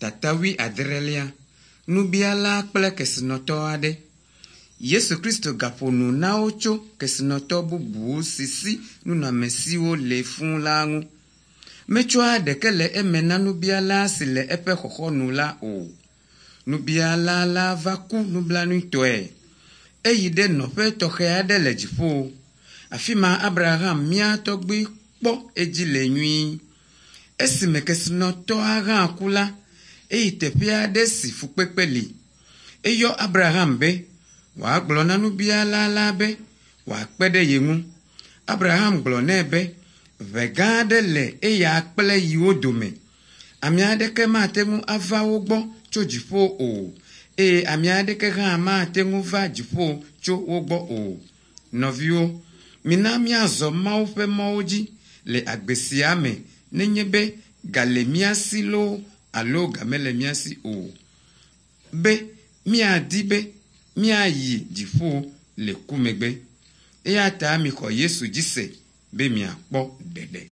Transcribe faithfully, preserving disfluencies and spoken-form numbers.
Tata wuiadrelia, nubiala kple kesinɔtɔ aɖe. Yesu Kristo gaƒo nu na wo tso kesinɔtɔ bubu si si nunɔamesiwo le fũu la ŋu. Metsɔa ɖeke le eme na nubiala si le eƒe xɔxɔnu la o. Nubiala la va ku nublanuitɔe. Eyi ɖe nɔƒe tɔxɛ aɖe le dziƒo. Afi ma Abraham mía tɔgbui kpɔ edzi le nyuie. Esime kesinɔtɔa hã ku la, eyi teƒe aɖe si fukpekpe li. Eyɔ Abraham be wòagblɔ na nubiala la be wòakpe ɖe ye ŋu. Abraham gblɔ nɛ be ʋe gã aɖe le eya kple yiwo dome. Ame aɖeke mate ŋu ava wo gbɔ tso dziƒo o eye ame aɖeke hã mate ŋu va dziƒo tso wo gbɔ o. Nɔviwo, mina míazɔ Mawu ƒe mɔwo dzi le agbe sia me nenye be ga le mía si loo alo ga mele mía si o. Be míadi be míayi dziƒo le ku megbe. Eya ta mixɔ Yesu dzi se be miakpɔ ɖeɖe.